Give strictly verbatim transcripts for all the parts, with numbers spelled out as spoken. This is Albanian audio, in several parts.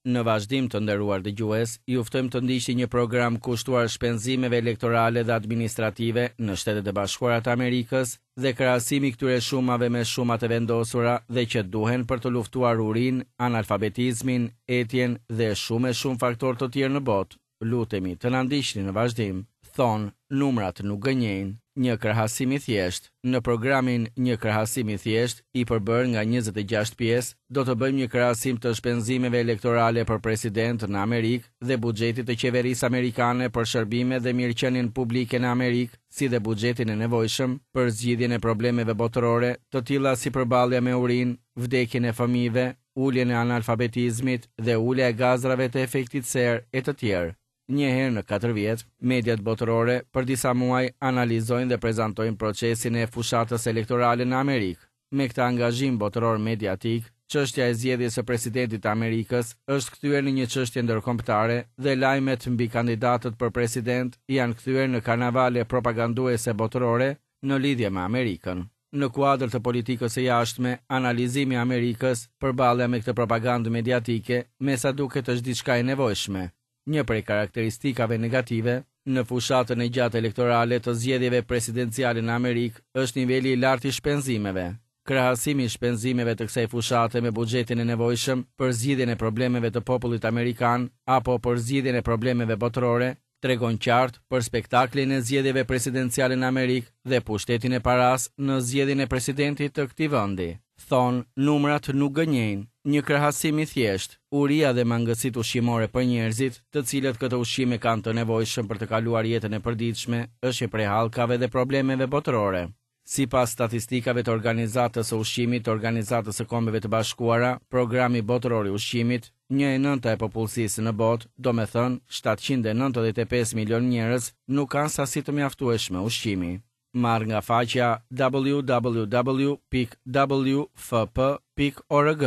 Në vazhdim, të nderuar dëgjues, ju ftojmë të ndiqni një program kushtuar shpenzimeve elektorale dhe administrative në Shtetet e Bashkuara të Amerikës dhe krahasimi i këtyre shumave me shumat e vendosura dhe që duhen për të luftuar urinë, analfabetizmin, etjen dhe shumë e shumë faktorë të tjerë në botë. Lutemi të na ndiqni në vazhdim. Thonë, numrat nuk gënjejnë. Një krahasim i thjeshtë. Në programin Një krahasim i thjeshtë, i përbërë nga njëzet e gjashtë pjesë, do të bëjmë një krahasim të shpenzimeve elektorale për president në Amerikë dhe buxhetit të qeverisë amerikane për shërbime dhe mirëqenien publike në Amerikë, si dhe buxhetin e nevojshëm për zgjidhjen e problemeve botërore, të tilla si përballja me urinë, vdekjen e fëmijëve, uljen e analfabetizmit dhe ulja e gazrave të efektit serë e të tjerë. Një herë në katër vjet, mediat botërore për disa muaj analizojnë dhe prezantojnë procesin e fushatës elektorale në Amerikë. Me këtë angazhim botëror mediatik, çështja e zgjedhjes së presidentit të Amerikës është kthyer në një çështje ndërkombëtare dhe lajmet mbi kandidatët për president janë kthyer në karnavale propaganduese botërore në lidhje me Amerikën. Në kuadër të politikës së jashtme, analizimi i Amerikës, përballja me këtë propagandë mediatike, me sa duket është diçka e nevojshme. Një prej karakteristikave negative në fushatën e gjatë elektorale të zgjedhjeve presidenciale në Amerikë është niveli i lartë i shpenzimeve. Krahasimi i shpenzimeve të kësaj fushate me buxhetin e nevojshëm për zgjidhjen e problemeve të popullit amerikan apo për zgjidhjen e problemeve botërore tregon qartë për spektaklin e zgjedhjeve presidenciale në Amerikë dhe pushtetin e paras në zgjedhjen e presidentit të këtij vendi. Thonë, numrat nuk gënjejnë. Një krahasim i thjeshtë, uria dhe mangësitë ushqimore për njerëzit, të cilët këtë ushqim e kanë të nevojshëm për të kaluar jetën e përditshme, është një prej hallkave dhe problemeve botërore. Sipas statistikave të Organizatës së Ushqimit të Organizatës së Kombeve të Bashkuara, Programi Botëror i Ushqimit, një e nënta e popullsisë në botë, domethënë shtatëqind e nëntëdhjetë e pesë milion njerëz, nuk kanë sasi të mjaftueshme ushqimi. Marr nga faqja w w w pikë w f p pikë org.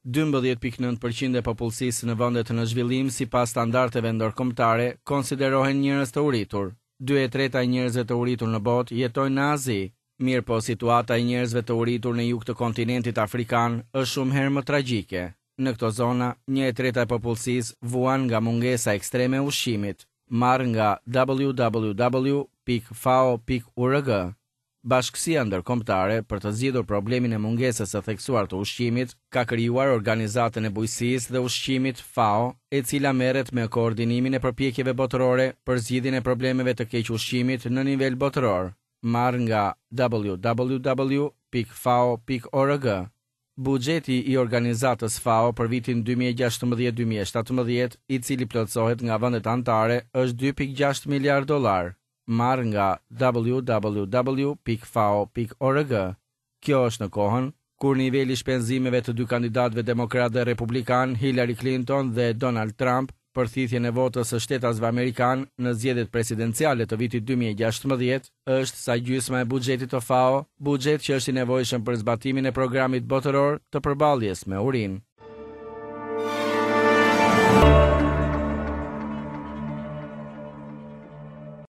dymbëdhjetë pikë nëntë përqind e popullsisë në vendet në zhvillim sipas standardeve ndërkombëtare konsiderohen njerëz të uritur. Dy e treta e njerëzve të uritur në botë jetojnë në Azi. Mirë po situata e njerëzve të uritur në jug të kontinentit afrikan është shumë herë më tragjike. Në këto zona, një e treta e popullsisë vuan nga mungesa ekstreme e ushqimit. Marr nga w w w pikë fao pikë org. Bashkësia ndërkombëtare për të zgjidhur problemin e mungesës së theksuar të ushqimit ka krijuar Organizatën e Bujqësisë dhe Ushqimit FAO, e cila merret me koordinimin e përpjekjeve botërore për zgjidhjen e problemeve të keq ushqimit në nivel botëror. Marr nga w w w pikë fao pikë org. Buxheti i organizatës FAO për vitin dy mijë e gjashtëmbëdhjetë dy mijë e shtatëmbëdhjetë, i cili plotësohet nga vendet anëtare, është dy pikë gjashtë miliard dollar. Marr nga w w w pikë fao pikë org. Kjo është në kohën kur niveli i shpenzimeve të dy kandidatëve demokrat dhe republikan, Hillary Clinton dhe Donald Trump, për thithjen e votës së shtetasve amerikan në zgjedhjet presidenciale të vitit dy mijë e gjashtëmbëdhjetë, është sa gjysma e buxhetit të FAO, buxhet që është i nevojshëm për zbatimin e programit botëror të përballjes me urinë.